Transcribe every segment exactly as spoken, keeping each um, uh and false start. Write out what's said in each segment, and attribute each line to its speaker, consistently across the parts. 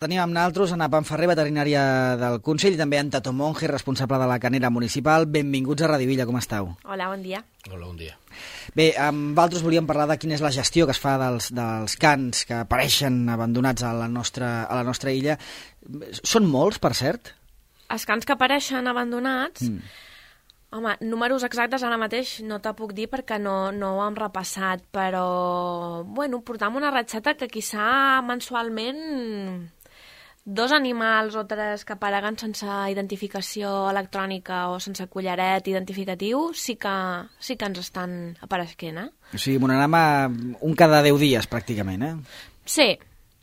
Speaker 1: Tenim amb nosaltres Ana Panferrer, veterinària del Consell, i també en Tato Monge, responsable de la Canera Municipal. Benvinguts a Radivilla, com esteu?
Speaker 2: Hola, bon dia.
Speaker 3: Hola, bon dia.
Speaker 1: Bé, amb vosaltres volíem parlar de quina és la gestió que es fa dels, dels cans que apareixen abandonats a la nostra, a la nostra illa. Són molts, per cert?
Speaker 2: Els cans que apareixen abandonats...
Speaker 1: Mm.
Speaker 2: Home, números exactes ara mateix no te puc dir perquè no, no ho hem repassat, però, bueno, portam una ratxeta que quizà mensualment dos animals o tres que apareguen sense identificació electrònica o sense collaret identificatiu sí que, sí que ens estan apareixent, eh?
Speaker 1: O sigui, monograma un cada deu dies, pràcticament, eh?
Speaker 2: Sí,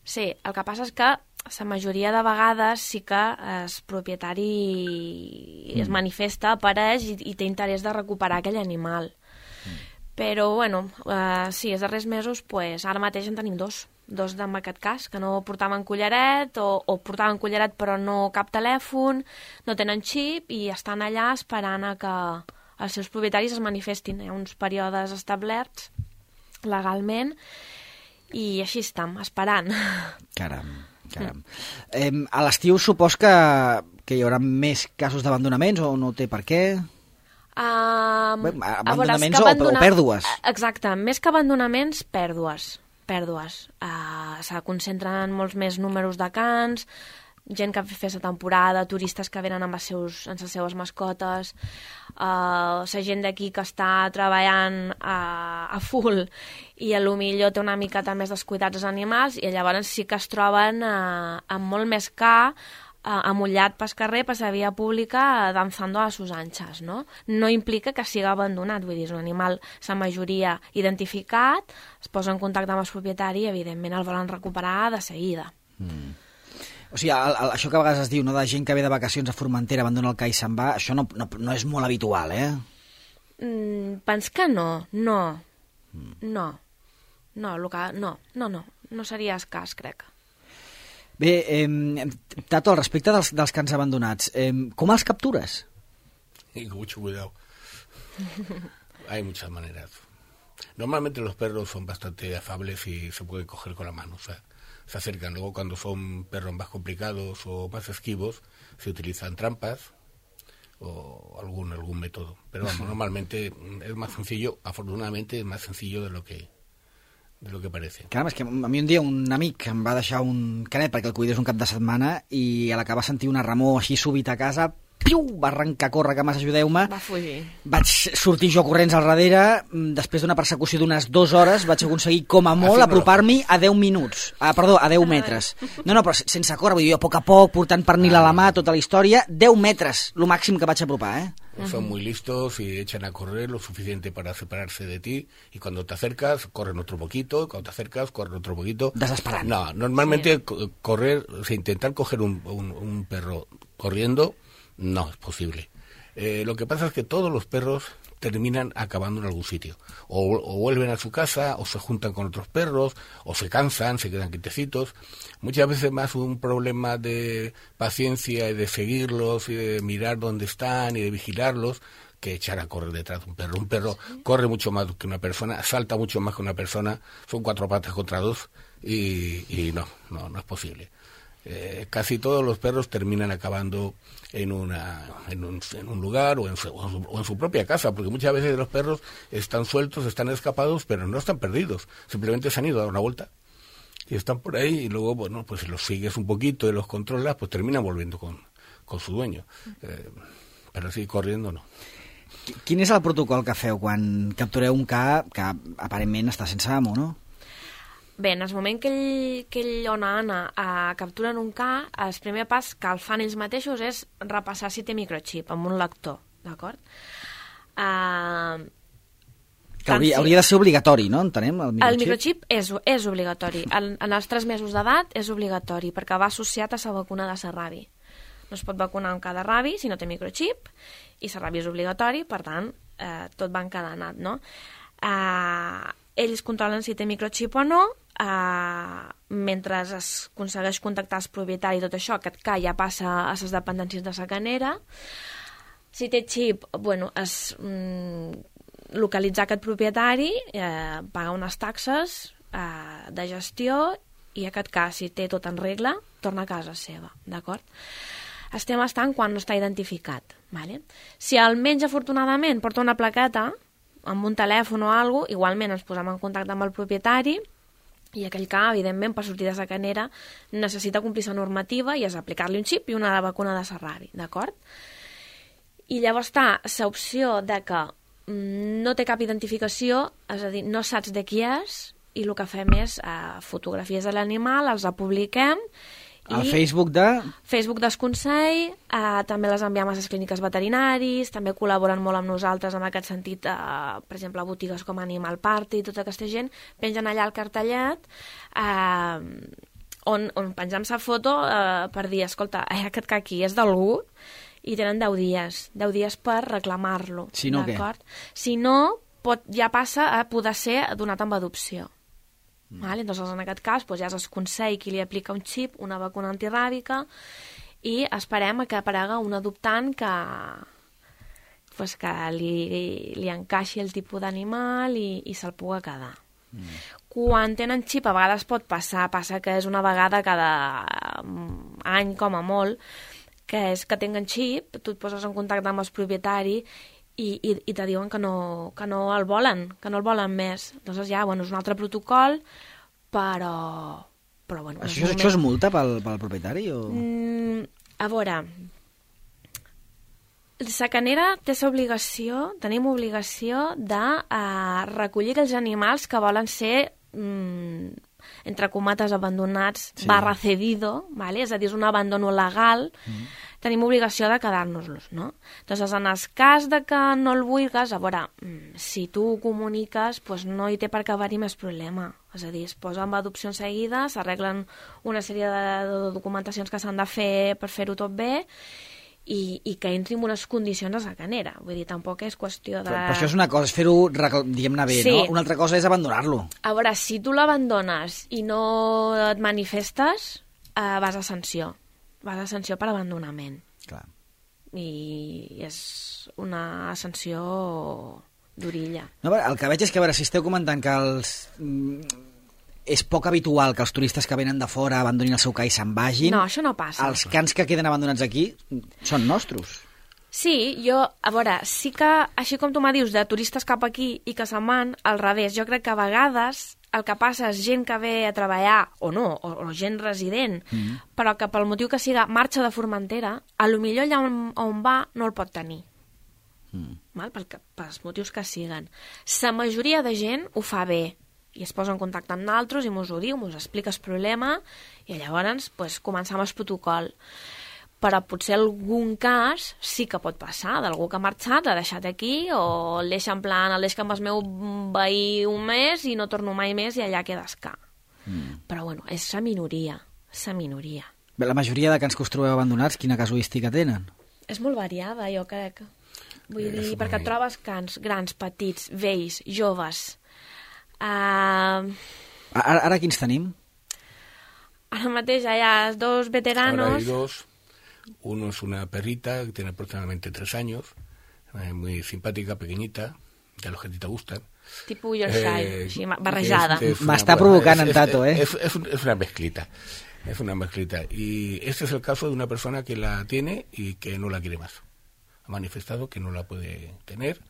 Speaker 2: sí. El que passa és que la majoria de vegades sí que el propietari mm. es manifesta, apareix i, i té interès de recuperar aquell animal. Mm. Però, bueno, uh, sí, els darrers mesos, pues, ara mateix en tenim dos. Dos en aquest cas, que no portaven collaret o, o portaven collaret però no cap telèfon, no tenen xip i estan allà esperant a que els seus propietaris es manifestin. Hi ha uns períodes establerts legalment i així estem, esperant.
Speaker 1: Caram. Caram. Eh, a l'estiu supos que, que hi haurà més casos d'abandonaments o no té per què?
Speaker 2: Um,
Speaker 1: Bé, abandonaments veure, abandona... o, o pèrdues.
Speaker 2: Exacte, més que abandonaments, pèrdues. pèrdues. Uh, se concentren molts més números de cans, gent que fa la temporada, turistes que venen amb, els seus, amb les seves mascotes, uh, la gent d'aquí que està treballant a, a full i a lo millor té una miqueta més descuidats els animals i llavors sí que es troben uh, amb molt més ca, uh, amullat pel carrer, per la via pública, uh, danzando a sus anchas, no? No implica que sigui abandonat, vull dir, és un animal, la majoria identificat, es posa en contacte amb el propietari i evidentment el volen recuperar de seguida.
Speaker 1: Mm. O sigui, el, el, això que a vegades es diu, no, de gent que ve de vacacions a Formentera, abandona el ca i se'n va, això no, no, no és molt habitual, eh?
Speaker 2: Mm, pens que no, no, mm. no, no, que, no, no, no, no seria escàs, crec.
Speaker 1: Bé, eh, Tato, al respecte dels, dels cans abandonats, eh, com els captures?
Speaker 3: Y con mucho cuidado. Hay muchas maneras. Normalmente los perros son bastante afables y se pueden coger con la mano, o sea, se acercan. Luego cuando son perros más complicados o más esquivos se utilizan trampas o algún algún método, pero vamos, normalmente es más sencillo, afortunadamente es más sencillo de lo que de lo que parece.
Speaker 1: Caram, és que a mi un dia un amic em va deixar un canet perquè el cuidés un cap de setmana i a la que va sentir una remor així súbita a casa, piu, va arrencar a córrer, que mas ajudeu-me.
Speaker 2: Va fugir.
Speaker 1: Vaig sortir jo corrents al darrere, després d'una persecució d'unes dues hores vaig aconseguir com a molt apropar-m'hi a deu minuts, ah, perdó, a deu metres. No, no, però sense córrer, vull dir, a poc a poc, portant pernil a la mà, tota la història, deu metres, lo màxim que vaig apropar, eh?
Speaker 3: Son muy listos y echan a correr lo suficiente para separarse de ti y cuando te acercas corren otro poquito, y cuando te acercas corren otro poquito.
Speaker 1: Desesperant.
Speaker 3: No, normalmente sí. correr, o sea, intentar coger un, un, un perro corriendo no es posible. Eh, lo que pasa es que todos los perros terminan acabando en algún sitio. O, o vuelven a su casa, o se juntan con otros perros, o se cansan, se quedan quietecitos. Muchas veces más un problema de paciencia y de seguirlos y de mirar dónde están y de vigilarlos que echar a correr detrás de un perro. Un perro ¿Sí? corre mucho más que una persona, salta mucho más que una persona, son cuatro patas contra dos y, y no, no, no es posible. Eh, casi todos los perros terminan acabando en una en un, en un lugar o en, su, o, en su, o en su propia casa, porque muchas veces los perros están sueltos, están escapados, pero no están perdidos, simplemente se han ido a dar una vuelta y están por ahí y luego, bueno, pues si los sigues un poquito y los controlas, pues terminan volviendo con, con su dueño. Eh, pero sí, corriendo no.
Speaker 1: Quin és el protocol que feu quan captureu un ca que aparentment està sense amo, no?
Speaker 2: Bé, en el moment que ell, que ell o una Anna uh, capturen un ca, el primer pas que el fan ells mateixos és repassar si té microxip amb un lector, d'acord? Uh,
Speaker 1: que hauria, si... hauria de ser obligatori, no? Entenem, el microxip?
Speaker 2: El microxip és, és obligatori. En, en els tres mesos d'edat és obligatori, perquè va associat a la vacuna de la rabi. No es pot vacunar un ca de rabi si no té microxip, i la rabi és obligatori, per tant, eh, tot va encadenat, no? Eh, ells controlen si té microxip o no, Uh, mentre es aconsegueix contactar el propietari i tot això, aquest ca ja passa a les dependències de la canera. Si té xip, bueno, es mm, localitzar aquest propietari, eh, pagar unes taxes eh, de gestió i aquest cas, si té tot en regla, torna a casa seva, d'acord? Estem estant quan no està identificat, vale? Si almenys afortunadament porta una plaqueta amb un telèfon o alguna cosa, igualment ens posem en contacte amb el propietari i aquell que, evidentment, per sortir de Sacanera necessita complir la normativa i és aplicar-li un xip i una vacuna de Sarravi, d'acord? I llavors està l'opció de que no té cap identificació, és a dir, no saps de qui és, i el que fem és eh, fotografies de l'animal, els publiquem.
Speaker 1: Al Facebook de...
Speaker 2: Facebook del Consell, eh, també les enviem a les clíniques veterinaris, també col·laboren molt amb nosaltres en aquest sentit, eh, per exemple, a botigues com Animal Party, tota aquesta gent, pengen allà el cartellet, eh, on, on pengem la foto eh, per dir, escolta, eh, aquest que aquí és d'algú, i tenen deu dies, deu dies per reclamar-lo.
Speaker 1: Si no, què?
Speaker 2: Si no, pot, ja passa a poder ser donat amb adopció. Mm. Vale? Entonces, en aquest cas, doncs, ja és el Consell qui li aplica un xip, una vacuna antiràbica, i esperem que aparega un adoptant que, pues, que li, li encaixi el tipus d'animal i, i se'l pugui quedar. Mm. Quan tenen xip, a vegades pot passar, passa que és una vegada cada any com a molt, que és que tenen xip, tu et poses en contacte amb el propietari i, i, i te diuen que no, que no el volen, que no el volen més. Llavors ja, bueno, és un altre protocol, però... però bueno,
Speaker 1: això, moment... això és multa pel, pel propietari? O...
Speaker 2: Mm, a veure, Sacanera té l'obligació, tenim obligació de uh, recollir aquells animals que volen ser... Mm, entre comates abandonats, sí. barra cedido, ¿vale? És a dir, és un abandono legal, mm. tenim obligació de quedar-nos-los, no? Entonces, en el cas de que no el vulguis, a veure, si tu ho comuniques, pues no hi té per què haver-hi més problema. És a dir, es posa amb adopció en seguida, s'arreglen una sèrie de, de documentacions que s'han de fer per fer-ho tot bé, i, i que entri en unes condicions a Sacanera. Vull dir, tampoc és qüestió de...
Speaker 1: Però, però això és una cosa, és fer-ho, diguem-ne bé, sí. no? Una altra cosa és abandonar-lo.
Speaker 2: A veure, si tu l'abandones i no et manifestes, eh, vas a sanció. Vas a sanció per abandonament.
Speaker 1: Clar.
Speaker 2: I és una sanció d'orilla.
Speaker 1: No, el que veig és que, a veure, si esteu comentant que els... és poc habitual que els turistes que venen de fora abandonin el seu ca i se'n vagin.
Speaker 2: No, això no passa.
Speaker 1: Els cans que queden abandonats aquí són nostres.
Speaker 2: Sí, jo, a veure, sí que, així com tu me dius, de turistes cap aquí i que se'n van, al revés, jo crec que a vegades el que passa és gent que ve a treballar, o no, o, o gent resident, mm-hmm. però que pel motiu que siga marxa de Formentera, a lo millor allà on, on va no el pot tenir. Mm. Val? Pel que, pels motius que siguen. La majoria de gent ho fa bé, i es posa en contacte amb nosaltres i mos ho diu, mos explica el problema i llavors pues, començam el protocol. Però potser algun cas sí que pot passar, d'algú que ha marxat, l'ha deixat aquí, o el deixa en plan, el deixa amb el meu veí un mes i no torno mai més i allà quedes ca. Mm. Però bueno, és la minoria, la minoria.
Speaker 1: Bé, la majoria de cans que us trobeu abandonats, quina casuística tenen?
Speaker 2: És molt variada, jo crec. Vull dir, perquè et trobes cans grans, petits, vells, joves. Uh...
Speaker 1: Ara, ara quins tenim?
Speaker 2: Ara mateix hi ha dos veteranos.
Speaker 3: Ahora hay dos. Uno es una perrita que tiene aproximadamente tres años, eh, muy simpática, pequeñita, de los que a ti te gustan.
Speaker 2: Tipo Yorkshire, eh, barrejada.
Speaker 1: M'està provocant en Tato, eh?
Speaker 3: Es, es, es una mezclita, es una mezclita. Y este es el caso de una persona que la tiene y que no la quiere más. Ha manifestado que no la puede tener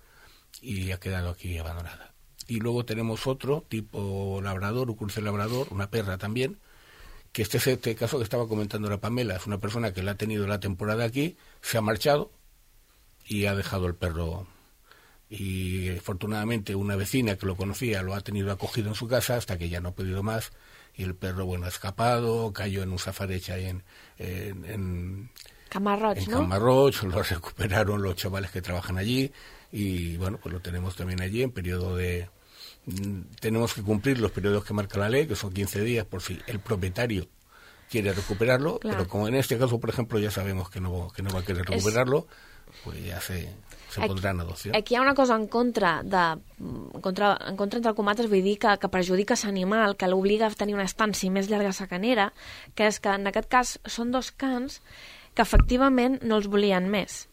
Speaker 3: y ha quedado aquí abandonada. Y luego tenemos otro, tipo labrador, un cruce labrador, una perra también, que este es este caso que estaba comentando la Pamela, es una persona que la ha tenido la temporada aquí, se ha marchado y ha dejado el perro. Y afortunadamente una vecina que lo conocía lo ha tenido acogido en su casa hasta que ya no ha podido más, y el perro, bueno, ha escapado, cayó en un safareig ahí en... en, en
Speaker 2: Camarroig,
Speaker 3: en
Speaker 2: ¿no?
Speaker 3: Camarroig, lo recuperaron los chavales que trabajan allí, y bueno, pues lo tenemos también allí en periodo de... Tenemos que cumplir los periodos que marca la ley, que son quince días por si el propietario quiere recuperarlo, claro. Pero como en este caso, por ejemplo, ya sabemos que no, que no va a querer recuperarlo, es... pues ya se, se aquí, pondrà en adopció.
Speaker 2: Aquí hi ha una cosa en contra, de, en contra, en contra entre comates, vull dir que, que perjudica l'animal, que l'obliga a tenir una estància més llarga a Sacanera, que és que en aquest cas són dos cans que efectivament no els volien més,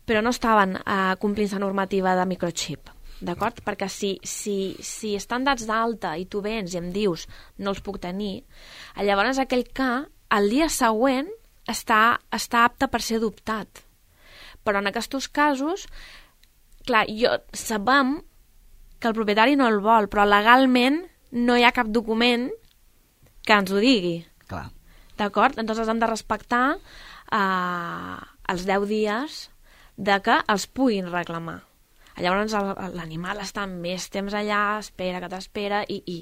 Speaker 2: però no estaven eh, complint la normativa de microchip. D'acord? Perquè si, si, si estan dats d'alta i tu vens i em dius no els puc tenir, llavors aquell ca el dia següent està, està apte per ser adoptat. Però en aquests casos, clar, jo sabem que el propietari no el vol, però legalment no hi ha cap document que ens ho digui.
Speaker 1: Clar.
Speaker 2: D'acord? Entonces hem de respectar eh, els deu dies de que els puguin reclamar. Llavors l'animal està més temps allà, espera que t'espera, i, i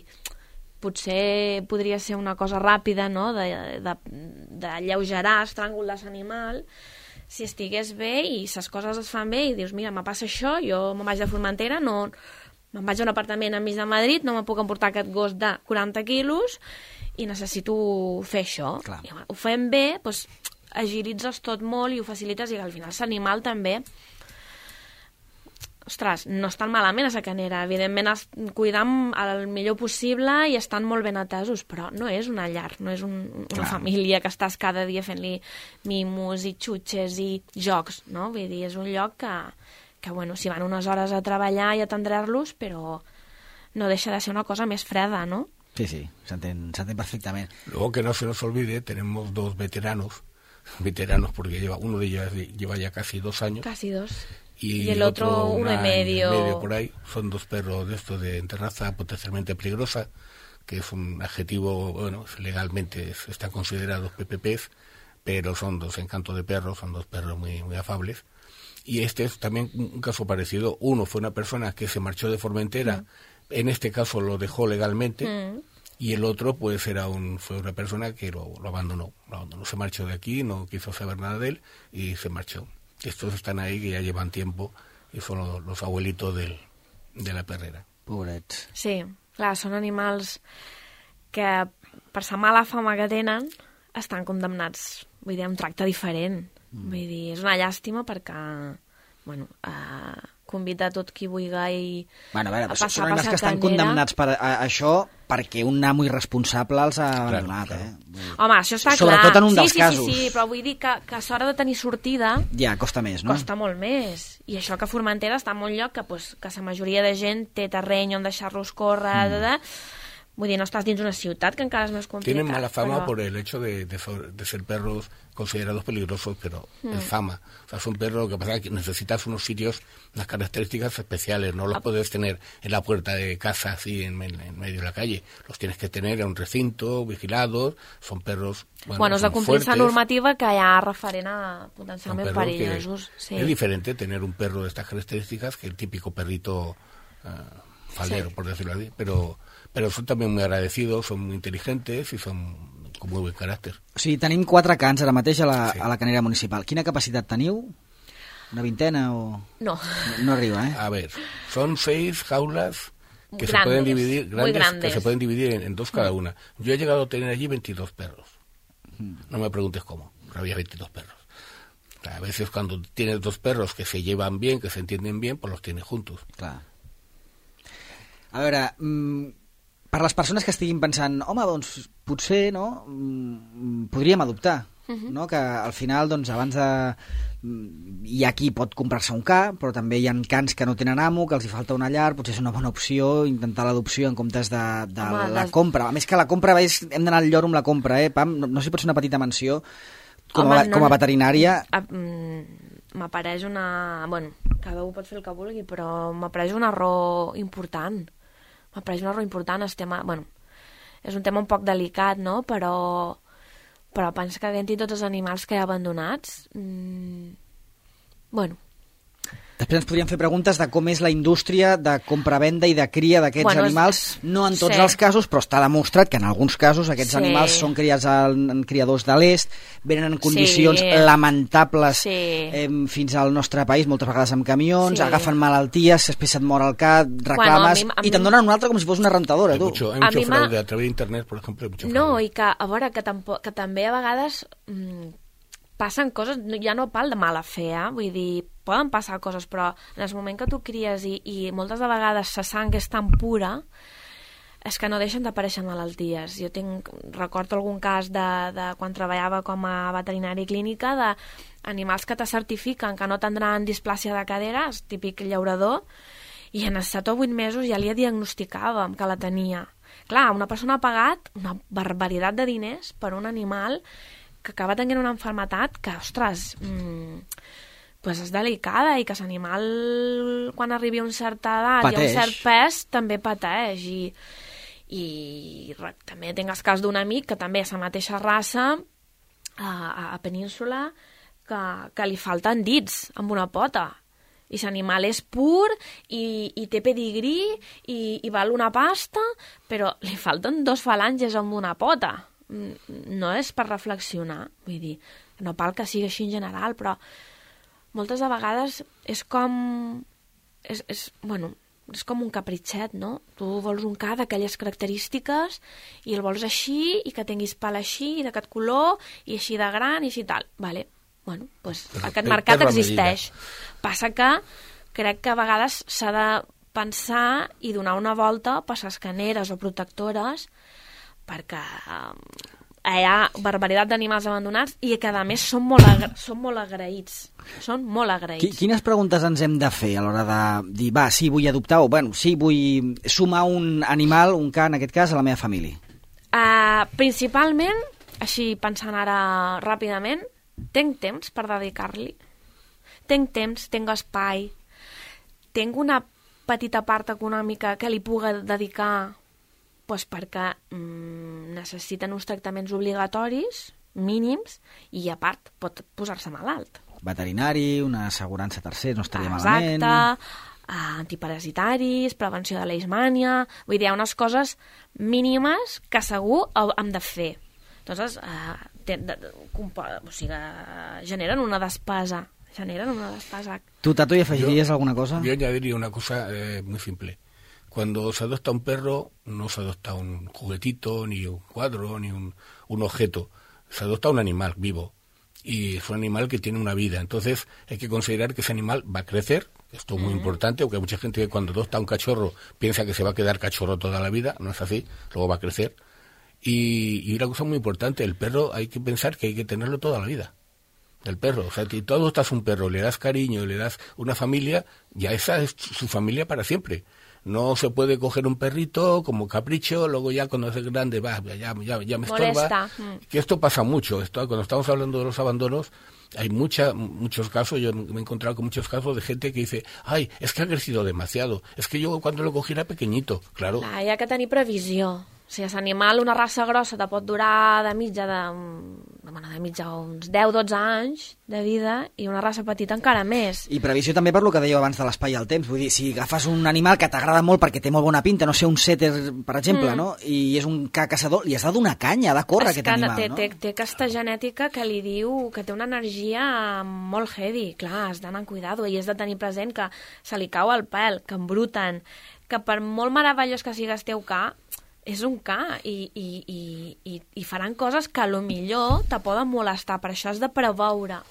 Speaker 2: potser podria ser una cosa ràpida, no?, de, de, de lleugerar el tràngol de l'animal, si estigués bé i les coses es fan bé i dius, mira, me passa això, jo me'n vaig de Formentera, no, me'n vaig a un apartament enmig de Madrid, no me puc emportar aquest gos de quaranta quilos i necessito fer això.
Speaker 1: Clar.
Speaker 2: I, ho fem bé, doncs agilitzes tot molt i ho facilites, i al final l'animal també, ostres, no estan malament a la canera, evidentment es cuidam el millor possible i estan molt ben atesos, però no és una llar, no és un, una
Speaker 1: Clar.
Speaker 2: família que estàs cada dia fent-li mimos i xutxes i jocs, no? Vull dir, és un lloc que, que bueno, s'hi van unes hores a treballar i a atendre-los, però no deixa de ser una cosa més freda, ¿no?
Speaker 1: Sí, sí, s'entén perfectament.
Speaker 3: Luego, que no se nos olvide, tenemos dos veteranos, veteranos porque lleva, uno de ellos lleva ya casi dos años.
Speaker 2: Casi dos.
Speaker 3: Y,
Speaker 2: y el otro, otro uno y medio.
Speaker 3: medio por ahí. Son dos perros de estos de raza potencialmente peligrosa, que es un adjetivo, bueno, legalmente están considerados P P Ps, pero son dos encantos de perros, son dos perros muy, muy afables. Y este es también un caso parecido. Uno fue una persona que se marchó de Formentera, mm. en este caso lo dejó legalmente, mm. y el otro pues era un, fue una persona que lo, lo abandonó, lo abandonó, se marchó de aquí, no quiso saber nada de él y se marchó. Estos están ahí, que ya llevan tiempo, i són los, los abuelitos del, de la perrera.
Speaker 1: Pobrets.
Speaker 2: Sí, clar, són animals que per la mala fama que tenen estan condemnats, vull dir, a un tracte diferent. Mm. Vull dir, és una llàstima perquè, bueno, eh, convida tot qui vulgui
Speaker 1: bueno, a, veure,
Speaker 2: a passar
Speaker 1: són animals
Speaker 2: per
Speaker 1: que estan condemnats per a, a això perquè un amo irresponsable els ha abandonat,
Speaker 3: claro,
Speaker 1: eh?
Speaker 2: Claro. Home, això està
Speaker 1: Sobretot
Speaker 2: clar.
Speaker 1: en un
Speaker 2: sí,
Speaker 1: dels
Speaker 2: sí,
Speaker 1: casos.
Speaker 2: Sí, sí, però vull dir que, que a l'hora de tenir sortida...
Speaker 1: Ja, costa més, no?
Speaker 2: Costa molt més. I això que Formentera està en un lloc que, pues, que la majoria de gent té terreny on deixar-los córrer... Mm. De, de, vull dir, no estàs dins una ciutat, que encara és més complicat.
Speaker 3: Tienen mala fama
Speaker 2: però...
Speaker 3: por el hecho de, de, de ser perros considerados peligrosos, pero mm. es fama. O sea, es un perro que pasa que necesitas unos sitios, unas características especiales. No los ah. puedes tener en la puerta de casa, así, en, en medio de la calle. Los tienes que tener en un recinto, vigilados. Son perros, bueno,
Speaker 2: bueno, és de complir la normativa que hi ha referent a potencialment perillosos. Sí.
Speaker 3: Es diferente tener un perro de estas características que el típico perrito uh, faldero, sí. por decirlo así, pero... Pero son también muy agradecidos, son muy inteligentes y son con muy buen carácter.
Speaker 1: O sigui, tenim quatre cans ara mateix a la,
Speaker 3: sí.
Speaker 1: a la canera municipal. Quina capacitat teniu? Una vintena o...?
Speaker 2: No.
Speaker 1: No, no arriba, ¿eh?
Speaker 3: A ver, son seis jaulas que
Speaker 2: grandes,
Speaker 3: se pueden dividir, grandes,
Speaker 2: grandes.
Speaker 3: que se pueden dividir en, en dos cada una. Yo he llegado a tener allí veintidós perros. No me preguntes cómo, pero había veintidós perros. A veces cuando tienes dos perros que se llevan bien, que se entienden bien, pues los tienes juntos.
Speaker 1: Clar. A veure... Mmm... Per les persones que estiguin pensant, home, doncs potser, no?, podríem adoptar, uh-huh. no?, que al final, doncs, abans de... Hi ha qui pot comprar-se un ca, però també hi ha cans que no tenen amo, que els hi falta una llar, potser és una bona opció intentar l'adopció en comptes de, de home, la des... compra. A més que la compra, és, hem d'anar al lloro amb la compra, eh, Pam? No, no sé si pot ser una petita menció com, home, a, no, com a veterinària...
Speaker 2: M'apareix una... Bueno, cada un pot fer el que vulgui, però m'apareix un error important. M'apareix un error important, el tema, bueno, és un tema un poc delicat, no?, però, però pensa que havent-hi tots els animals que hi ha abandonats, mmm, bueno...
Speaker 1: Després ens podríem fer preguntes de com és la indústria de compra-venda i de cria d'aquests bueno, animals, no en tots sí. els casos, però està demostrat que en alguns casos aquests sí. animals són criats en criadors de l'est, venen en condicions sí. lamentables sí. Eh, fins al nostre país, moltes vegades amb camions, sí. agafen malalties, després se't mor el cat, reclames, bueno, a mi, a mi... i te'n donen una altra com si fos una rentadora.
Speaker 3: Hay
Speaker 1: tu.
Speaker 3: mucho, hay mucho fraude a través d'internet, per exemple. Mucho
Speaker 2: no,
Speaker 3: fraude.
Speaker 2: I que, a veure, que, tampoc, que també a vegades... Mmm, passen coses, ja no pal de mala fe, eh? Vull dir, poden passar coses, però en el moment que tu cries i, i moltes de vegades la sang és tan pura, és que no deixen d'aparèixer malalties. Jo tinc, recordo algun cas de, de quan treballava com a veterinari clínica d'animals que te certifiquen que no tindran displàcia de cadera, és típic llaurador, i en els set o vuit mesos ja li diagnosticàvem que la tenia. clar, una persona ha pagat una barbaritat de diners per un animal que acaba tenint una malaltia que, ostres, mmm, pues és delicada i que l'animal, quan arribi a una certa edat
Speaker 1: pateix.
Speaker 2: I a un cert pes, també pateix. I, i també tinc el cas d'un amic que també és la mateixa raça a, a Península que, que li falten dits amb una pota. I l'animal és pur i, i té pedigrí i, i val una pasta, però li falten dos falanges amb una pota. No és per reflexionar, vull dir, no cal que sigui així en general, però moltes de vegades és com... És, és, bueno, és com un capritxet, no? Tu vols un ca d'aquelles característiques i el vols així, i que tinguis pal així, i d'aquest color, i així de gran, i així tal. Vale. Bueno, doncs
Speaker 3: Però
Speaker 2: aquest
Speaker 3: per-
Speaker 2: mercat
Speaker 3: per la
Speaker 2: existeix. Passa que crec que a vegades s'ha de pensar i donar una volta per les caneres o protectores, perquè eh, hi ha barbaritat d'animals abandonats i que a més són molt, agra són molt agraïts. Són molt agraïts.
Speaker 1: Quines preguntes ens hem de fer a l'hora de dir, va, sí, vull adoptar, o bueno, sí, vull sumar un animal, un ca, en aquest cas, a la meva família?
Speaker 2: Uh, principalment, així pensant ara ràpidament, tinc temps per dedicar-li. Tinc temps, tinc espai, tinc una petita part econòmica que li puga dedicar pues perquè mm, necessiten uns tractaments obligatoris, mínims, i a part pot posar-se malalt.
Speaker 1: Veterinari, una assegurança tercer, no estaria
Speaker 2: Exacte,
Speaker 1: malament.
Speaker 2: uh, antiparasitaris, prevenció de leishmània... Vull dir, hi ha unes coses mínimes que segur hem de fer. Entonces, uh, te, de, de, o sigui, generen una despesa. Generen una despesa.
Speaker 1: Tu, Tato, hi afegiries
Speaker 3: yo,
Speaker 1: alguna cosa?
Speaker 3: Yo añadiría una cosa eh, muy simple. Cuando se adopta un perro, no se adopta un juguetito, ni un cuadro, ni un, un objeto. Se adopta un animal vivo. Y es un animal que tiene una vida. Entonces, hay que considerar que ese animal va a crecer. Esto es muy mm. importante, porque hay mucha gente que cuando adopta un cachorro piensa que se va a quedar cachorro toda la vida. No es así. Luego va a crecer. Y, y una cosa muy importante, el perro hay que pensar que hay que tenerlo toda la vida. El perro, o sea, si tú adoptas un perro, le das cariño, le das una familia, ya esa es su familia para siempre. No se puede coger un perrito como capricho, luego ya cuando es grande, va, ya, ya, ya me estorba. Mm. Que esto pasa mucho. Esto, cuando estamos hablando de los abandonos, hay mucha, muchos casos, yo me he encontrado con muchos casos de gente que dice, ay, es que ha crecido demasiado, es que yo cuando lo cogí era pequeñito, claro.
Speaker 2: Clar, hi ha que tenir previsió. O sigui, l'animal, una raça grossa, te pot durar de mitja de, bueno, de mitja uns deu dotze anys de vida i una raça petita encara més.
Speaker 1: I previsió també per lo que dèieu abans de l'espai i el temps. Vull dir, si agafes un animal que t'agrada molt perquè té molt bona pinta, no sé, un setter, per exemple, mm. no? I és un ca caçador, li has de donar canya, ha de córrer
Speaker 2: és
Speaker 1: aquest animal,
Speaker 2: té,
Speaker 1: no?
Speaker 2: Té, té aquesta genètica que li diu que té una energia molt heavy. Clar, has d'anar amb cuidado i has de tenir present que se li cau el pèl, que embruten, que per molt meravellós que sigues teu ca, és un ca i, i, i, i, i faran coses que a lo millor te poden molestar, per això has de preveure.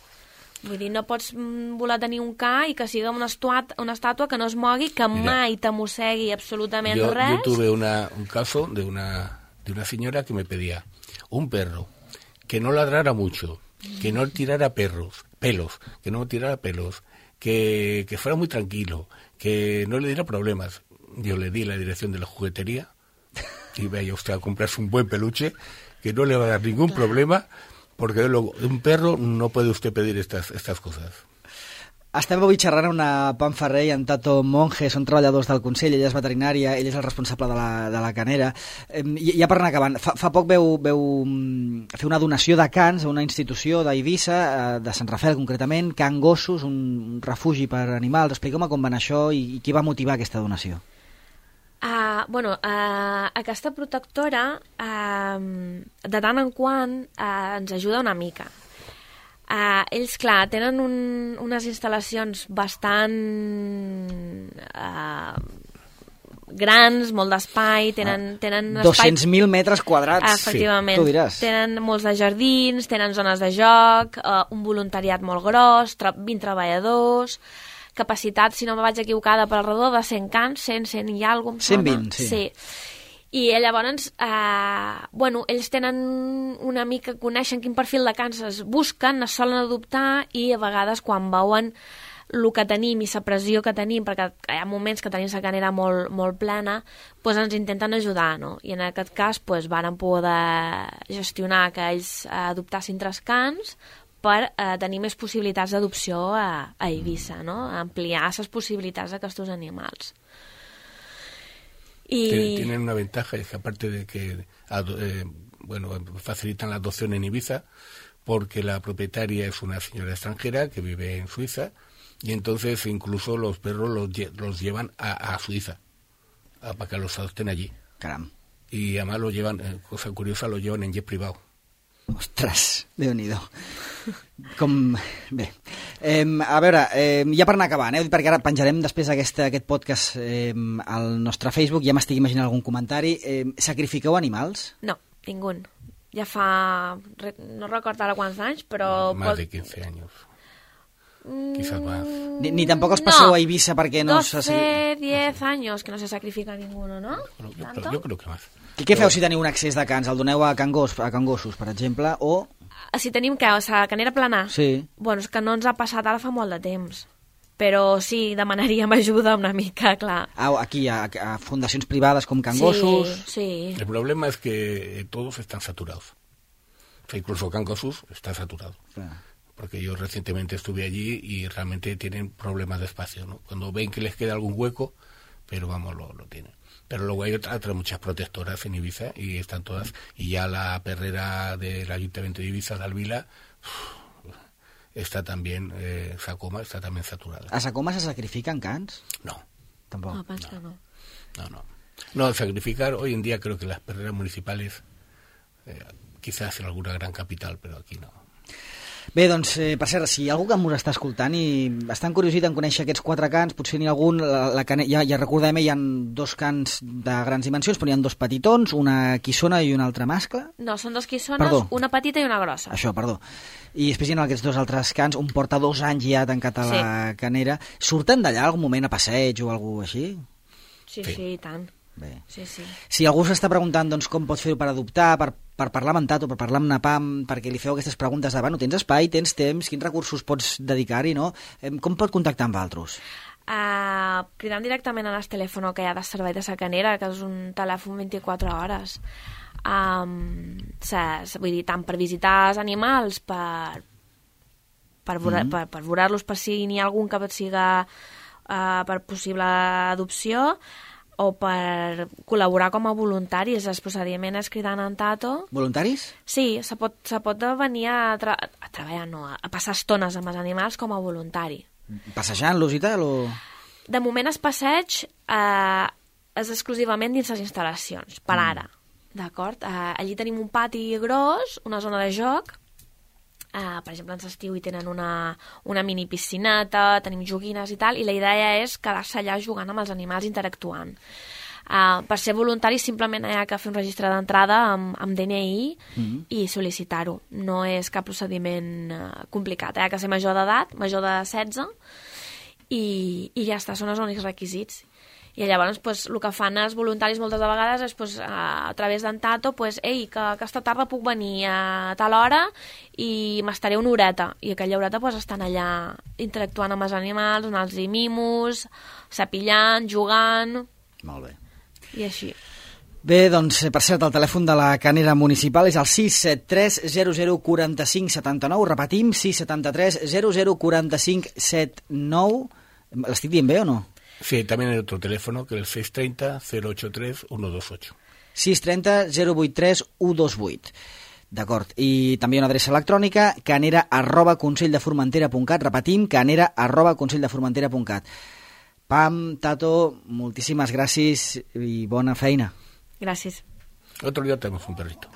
Speaker 2: Vull dir, no pots voler tenir un ca i que sigui una, estuat, una estàtua que no es mogui, que Mira, mai te mossegui absolutament
Speaker 3: yo,
Speaker 2: res.
Speaker 3: Yo tuve una, un caso de una, de una señora que me pedía un perro que no ladrara mucho, que no tirara perros, pelos, que no tirara pelos, que, que fuera muy tranquilo, que no le diera problemas. Yo le di la dirección de la juguetería y vaya usted a comprarse un buen peluche que no le va a dar ningún claro. problema, porque de un perro no puede usted pedir estas, estas cosas.
Speaker 1: Estem avui xerrant amb una Pam Ferrer i en Tato Monge, són treballadors del Consell, ella és veterinària, ell és el responsable de la, de la canera. Eh, ja per anar acabant, fa, fa poc veu, veu fer una donació de cans a una institució d'Eivissa, eh, de Sant Rafael concretament, Can Gossos, un, un refugi per animals. Expliqueu-me com va anar això i, i qui va motivar aquesta donació.
Speaker 2: Uh, bueno, uh, aquesta protectora uh, de tant en quant uh, ens ajuda una mica. Uh, ells, clar, tenen un, unes instal·lacions bastant uh, grans, molt d'espai, tenen, ah, tenen espai...
Speaker 1: dos-cents mil metres quadrats,
Speaker 2: efectivament,
Speaker 1: sí, tu diràs.
Speaker 2: Tenen molts de jardins, tenen zones de joc, uh, un voluntariat molt gros, tra vint treballadors... capacitat, si no me vaig equivocada, per alrededor de cent cans, cent, cent i alguna cosa.
Speaker 1: cent vint, sí.
Speaker 2: sí. I llavors, eh, bueno, ells tenen una mica, coneixen quin perfil de cans es busquen, es solen adoptar i a vegades quan veuen el que tenim i la pressió que tenim, perquè hi ha moments que tenim la canera molt, molt plena, doncs ens intenten ajudar, no? I en aquest cas doncs, varen poder gestionar que ells adoptassin tres cans per eh, tenir més possibilitats d'adopció a, a Eivissa, no? Ampliar les possibilitats d'aquests animals. Y...
Speaker 3: Tienen una ventaja, es que aparte de que eh, bueno, facilitan la adopción en Ibiza, porque la propietaria es una señora extranjera que vive en Suiza, y entonces incluso los perros los, los llevan a, a Suiza, a, para que los adopten allí.
Speaker 1: Caram.
Speaker 3: Y además lo llevan, eh, cosa curiosa, lo llevan en jet privado.
Speaker 1: Ostres, Déu-n'hi-do. Com... Bé, eh, a veure, eh, ja per anar acabant, eh, perquè ara penjarem després aquest, aquest podcast eh, al nostre Facebook, ja m'estic imaginant algun comentari. Eh, sacrifiqueu animals?
Speaker 2: No, ningú. Ja fa... no recordo ara quants anys, però...
Speaker 3: Más pot... de quince años. Quizás más.
Speaker 1: Ni, ni tampoc els passeu
Speaker 2: no.
Speaker 1: a Eivissa perquè no...
Speaker 2: doce, diez años que no se sacrifica ninguno, ¿no?
Speaker 3: Bueno, yo, creo, yo creo que más.
Speaker 1: I què feu si teniu un excés de cans? El doneu a, cangos, a cangossos, per exemple, o...
Speaker 2: Si tenim que, o sigui, canera plana?
Speaker 1: Sí.
Speaker 2: Bueno, és que no ens ha passat ara fa molt de temps. Però sí, demanaríem ajuda una mica, clar.
Speaker 1: Ah, aquí, a, a fundacions privades com cangossos...
Speaker 2: Sí, sí.
Speaker 3: El problema es que todos están saturados. O sea, incluso Cangosus está saturado.
Speaker 1: Clar.
Speaker 3: Porque yo recientemente estuve allí y realmente tienen problemas de espacio, ¿no? Cuando ven que les queda algún hueco, pero vamos, lo, lo tienen. Pero luego hay otras, otras muchas protectoras en Ibiza y están todas. Y ya la perrera del Ayuntamiento de Ibiza, de Alvila, está también, eh, Sacoma está también saturada.
Speaker 1: A Sacoma se sacrifican cans?
Speaker 3: No.
Speaker 1: Tampoc.
Speaker 2: No, penso que no.
Speaker 3: No, no. No, sacrificar, hoy en día creo que las perreras municipales, eh, quizás en alguna gran capital, pero aquí no.
Speaker 1: Bé, doncs, eh, per cert, si hi ha algú que m'ho està escoltant i està encuriosit en conèixer aquests quatre cans, potser n'hi ha algun, la, la cane... ja, ja recordem, hi ha dos cans de grans dimensions, però hi ha dos petitons, una quissona i una altra mascle.
Speaker 2: No, són dos quissones,
Speaker 1: Perdó.
Speaker 2: una petita i una grossa.
Speaker 1: Això, perdó. I després hi ha aquests dos altres cans, un porta dos anys ja tancat a la
Speaker 2: Sí.
Speaker 1: canera. Surten d'allà algun moment a passeig o alguna així?
Speaker 2: Sí,
Speaker 3: Sí.
Speaker 2: sí, i tant.
Speaker 1: Bé.
Speaker 2: Sí, sí.
Speaker 1: Si algú s'està preguntant doncs, com pot fer-ho per adoptar, per, per parlar amb en Tato, per parlar amb Napam, perquè li feu aquestes preguntes de, bueno, tens espai, tens temps, quins recursos pots dedicar-hi, no? Com pot contactar amb altres?
Speaker 2: Uh, cridant directament al telèfon que hi ha de servei de sacanera, que és un telèfon vint-i-quatre hores. Um, se, se, vull dir, tant per visitar els animals, per, per, mm-hmm. per, per veure-los, per si n'hi ha algun que siga uh, per possible adopció, o per col·laborar com a voluntaris. El procediment és cridant en Tato.
Speaker 1: Voluntaris?
Speaker 2: Sí, se pot, se pot venir a, tra a treballar, no, a passar estones amb els animals com a voluntari.
Speaker 1: Passejant-los i tal? O...
Speaker 2: De moment es passeig eh, és exclusivament dins les instal·lacions, per ara. D'acord? Eh, allí tenim un pati gros, una zona de joc. Uh, per exemple, en l'estiu hi tenen una, una mini piscineta, tenim joguines i tal, i la idea és quedar-se allà jugant amb els animals, interactuant. Uh, per ser voluntari simplement hi ha que fer un registre d'entrada amb, amb D N I mm-hmm. i sol·licitar-ho. No és cap procediment uh, complicat. Hi ha que ser major d'edat, major de setze, i, i ja està, són els únics requisits. I llavors pues, el que fan els voluntaris moltes de vegades és pues, a, a través d'en Tato pues, ei, que aquesta tarda puc venir a tal hora i m'estaré una horeta, i aquella horeta pues, estan allà interactuant amb els animals, donant-los mimos, sapillant, jugant.
Speaker 1: Molt bé.
Speaker 2: I així.
Speaker 1: Bé, doncs, per cert, el telèfon de la Canera Municipal és el sis set tres zero zero quatre cinc set nou, repetim, sis set tres zero zero quatre cinc set nou. L'estic dient bé o no?
Speaker 3: Sí, también hay otro teléfono que es el seis treinta cero ocho tres uno dos ocho.
Speaker 1: sis trenta zero vuit tres u dos vuit. D'acord. I també una adreça electrònica, canera arroba conselldeformentera punt cat. Repetim, canera arroba conselldeformentera punt cat. Pam, Tato, moltíssimes gràcies i bona feina.
Speaker 2: Gràcies.
Speaker 3: Otro día tenemos un perrito.